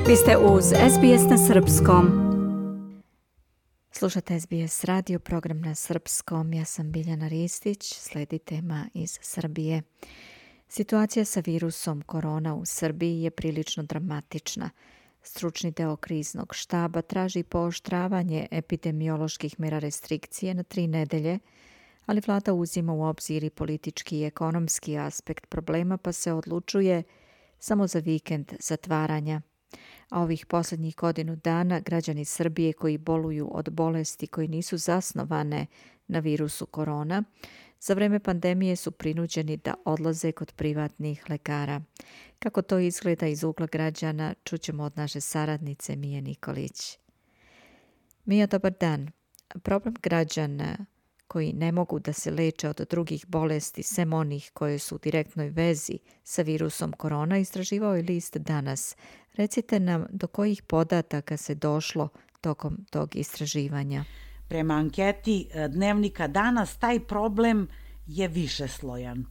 Vi ste uz SBS na srpskom. Slušate SBS radio, program na srpskom. Ja sam Biljana Ristić, sledi tema iz Srbije. Situacija sa virusom korona u Srbiji je prilično dramatična. Stručni deo kriznog štaba traži pooštravanje epidemioloških mera restrikcije na 3 nedelje, ali vlada uzima u obzir i politički i ekonomski aspekt problema pa se odlučuje samo za vikend zatvaranja. A ovih posljednjih godinu dana građani Srbije koji boluju od bolesti koji nisu zasnovane na virusu korona, za vreme pandemije su prinuđeni da odlaze kod privatnih lekara. Kako to izgleda iz ugla građana, čućemo od naše saradnice Mije Nikolić. Mija, dobar dan. Problem građana koji ne mogu da se leče od drugih bolesti, sem onih koje su u direktnoj vezi sa virusom korona, istraživao je list Danas. Recite nam do kojih podataka se došlo tokom tog istraživanja. Prema anketi dnevnika Danas taj problem je višeslojan.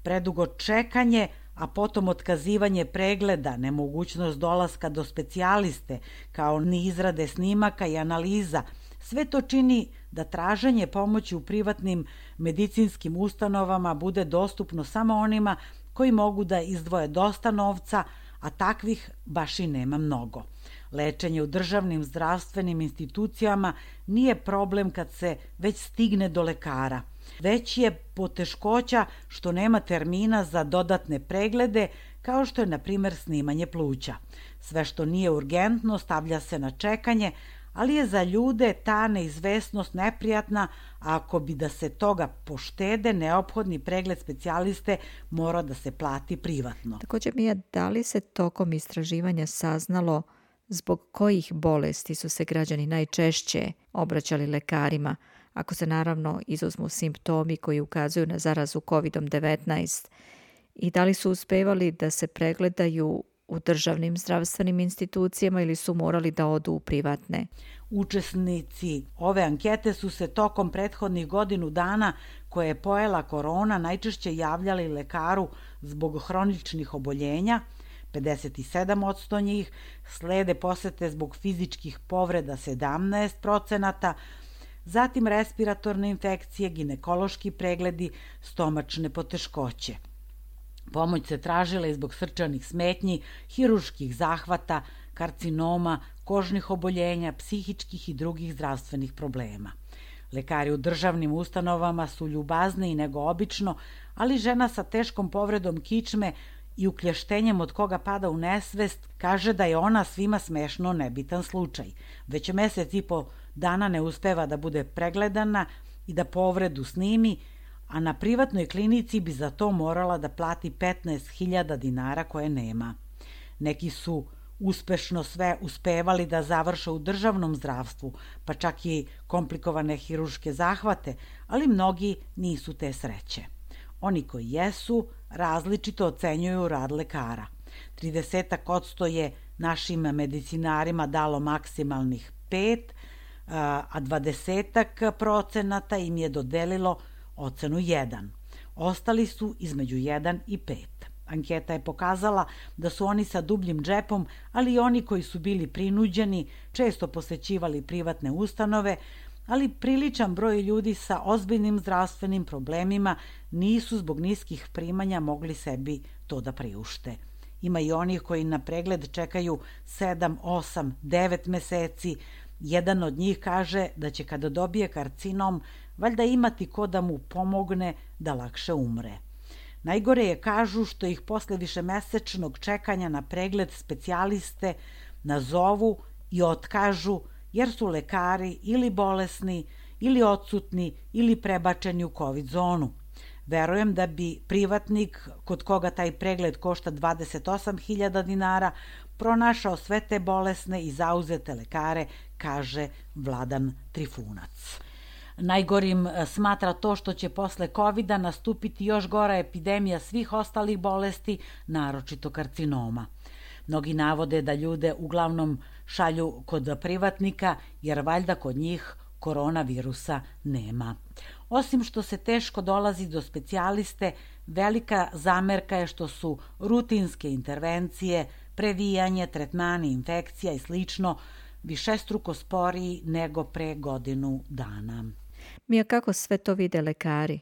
Predugo čekanje, a potom otkazivanje pregleda, nemogućnost dolaska do specijaliste, kao ni izrade snimaka i analiza, sve to čini da traženje pomoći u privatnim medicinskim ustanovama bude dostupno samo onima koji mogu da izdvoje dosta novca, a takvih baš i nema mnogo. Lečenje u državnim zdravstvenim institucijama nije problem kad se već stigne do lekara, već je poteškoća što nema termina za dodatne preglede, kao što je, na primjer, snimanje pluća. Sve što nije urgentno stavlja se na čekanje, ali je za ljude ta neizvesnost neprijatna, a ako bi da se toga poštede, neophodni pregled specijaliste mora da se plati privatno. Također, Mija, da li se tokom istraživanja saznalo zbog kojih bolesti su se građani najčešće obraćali lekarima, ako se naravno izuzmu simptomi koji ukazuju na zarazu COVID-19, i da li su uspevali da se pregledaju u državnim zdravstvenim institucijama ili su morali da odu u privatne? Učesnici ove ankete su se tokom prethodnih godinu dana koje je pojela korona najčešće javljali lekaru zbog hroničnih oboljenja, 57% njih, slede posete zbog fizičkih povreda 17%, zatim respiratorne infekcije, ginekološki pregledi, stomačne poteškoće. Pomoć se tražila i zbog srčanih smetnji, hirurških zahvata, karcinoma, kožnih oboljenja, psihičkih i drugih zdravstvenih problema. Lekari u državnim ustanovama su ljubazniji nego obično, ali žena sa teškom povredom kičme i uklještenjem od koga pada u nesvest kaže da je ona svima smešno nebitan slučaj. Već mesec i po dana ne uspeva da bude pregledana i da povredu snimi, a na privatnoj klinici bi za to morala da plati 15.000 dinara koje nema. Neki su uspešno sve uspevali da završe u državnom zdravstvu, pa čak i komplikovane hirurške zahvate, ali mnogi nisu te sreće. Oni koji jesu, različito ocenjuju rad lekara. 30% je našim medicinarima dalo maksimalnih 5, a 20% im je dodelilo ocenu 1. Ostali su između 1 i 5. Anketa je pokazala da su oni sa dubljim džepom, ali i oni koji su bili prinuđeni, često posećivali privatne ustanove, ali priličan broj ljudi sa ozbiljnim zdravstvenim problemima nisu zbog niskih primanja mogli sebi to da priušte. Ima i onih koji na pregled čekaju 7, 8, 9 meseci. Jedan od njih kaže da će kada dobije karcinom valjda imati ko da mu pomogne da lakše umre. Najgore je, kažu, što ih posle višemesečnog čekanja na pregled specijaliste nazovu i otkažu jer su lekari ili bolesni, ili odsutni, ili prebačeni u COVID zonu. Verujem da bi privatnik, kod koga taj pregled košta 28.000 dinara, pronašao sve te bolesne i zauzete lekare, kaže Vladan Trifunac. Najgorim smatra to što će posle COVID-a nastupiti još gora epidemija svih ostalih bolesti, naročito karcinoma. Mnogi navode da ljude uglavnom šalju kod privatnika, jer valjda kod njih koronavirusa nema. Osim što se teško dolazi do specijaliste, velika zamerka je što su rutinske intervencije, previjanje, tretmani infekcija i slično višestruko sporiji nego pre godinu dana. Mija, kako sve to vide lekari?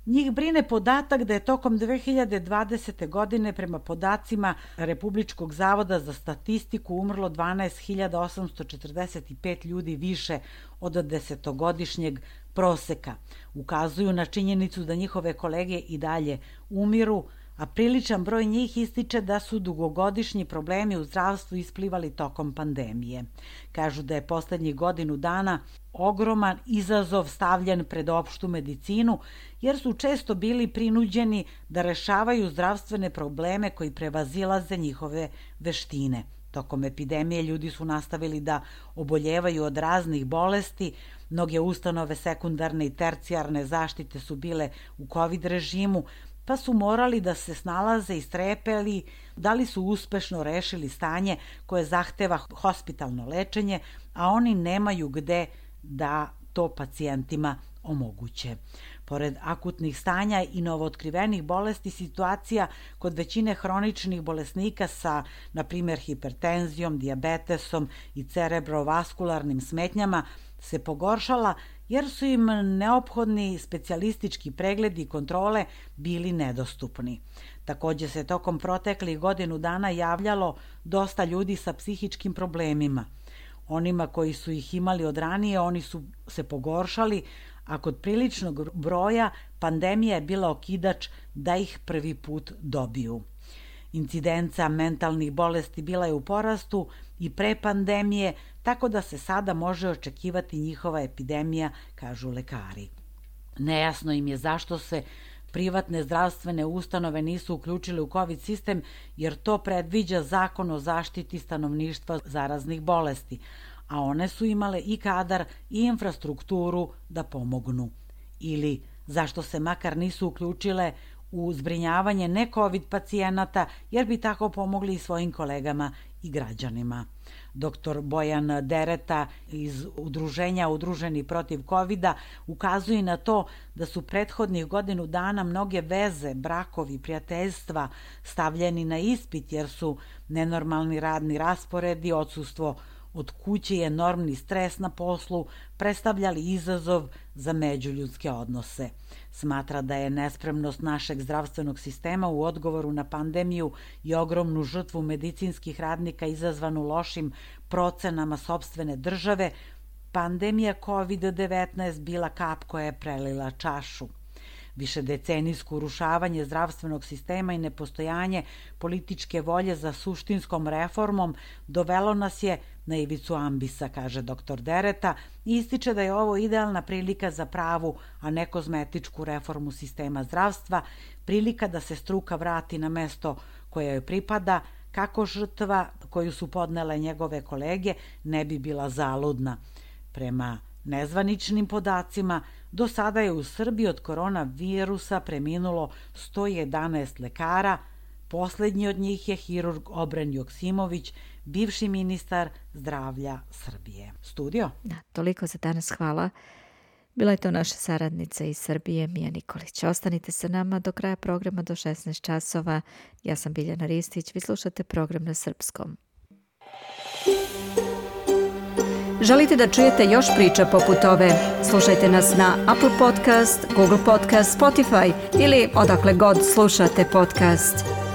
Njih brine podatak da je tokom 2020. godine prema podacima Republičkog zavoda za statistiku umrlo 12.845 ljudi više od 10-godišnjeg proseka. Ukazuju na činjenicu da njihove kolege i dalje umiru, a priličan broj njih ističe da su dugogodišnji problemi u zdravstvu isplivali tokom pandemije. Kažu da je poslednjih godinu dana ogroman izazov stavljen pred opštu medicinu, jer su često bili prinuđeni da rešavaju zdravstvene probleme koji prevazilaze njihove veštine. Tokom epidemije ljudi su nastavili da oboljevaju od raznih bolesti, mnoge ustanove sekundarne i tercijarne zaštite su bile u COVID režimu, pa su morali da se snalaze i strepeli da li su uspešno rešili stanje koje zahteva hospitalno lečenje, a oni nemaju gde da to pacijentima omoguće. Pored akutnih stanja i novootkrivenih bolesti, situacija kod većine hroničnih bolesnika sa, na primjer, hipertenzijom, dijabetesom i cerebrovaskularnim smetnjama se pogoršala jer su im neophodni specijalistički pregledi i kontrole bili nedostupni. Takođe se tokom proteklih godinu dana javljalo dosta ljudi sa psihičkim problemima. Onima koji su ih imali od ranije, oni su se pogoršali, a kod priličnog broja pandemija je bila okidač da ih prvi put dobiju. Incidenca mentalnih bolesti bila je u porastu i pre pandemije, tako da se sada može očekivati njihova epidemija, kažu lekari. Nejasno im je zašto se privatne zdravstvene ustanove nisu uključile u COVID sistem, jer to predviđa Zakon o zaštiti stanovništva zaraznih bolesti, a one su imale i kadar i infrastrukturu da pomognu. Ili zašto se makar nisu uključile u zbrinjavanje ne-COVID pacijenata, jer bi tako pomogli i svojim kolegama i građanima. Dr. Bojan Dereta iz udruženja Udruženi protiv COVID-a ukazuje na to da su prethodnih godinu dana mnoge veze, brakovi, prijateljstva stavljeni na ispit jer su nenormalni radni rasporedi, odsustvo od kuće i enormni stres na poslu predstavljali izazov za međuljudske odnose. Smatra da je nespremnost našeg zdravstvenog sistema u odgovoru na pandemiju i ogromnu žrtvu medicinskih radnika izazvanu lošim procenama sopstvene države, pandemija COVID-19 bila kap koja je prelila čašu. Višedecenijsko urušavanje zdravstvenog sistema i nepostojanje političke volje za suštinskom reformom dovelo nas je na ivicu ambisa, kaže dr. Dereta, i ističe da je ovo idealna prilika za pravu, a ne kozmetičku reformu sistema zdravstva, prilika da se struka vrati na mesto koje joj pripada, kako žrtva koju su podnele njegove kolege ne bi bila zaludna. Prema nezvaničnim podacima, do sada je u Srbiji od koronavirusa preminulo 111 lekara, poslednji od njih je hirurg Obren Joksimović, bivši ministar zdravlja Srbije. Studio? Da, toliko za danas, hvala. Bila je to naša saradnica iz Srbije, Mija Nikolić. Ostanite sa nama do kraja programa do 16 časova. Ja sam Biljana Ristić, vi slušate program na srpskom. Želite da čujete još priča poput ove? Slušajte nas na Apple Podcast, Google Podcast, Spotify ili odakle god slušate podcast.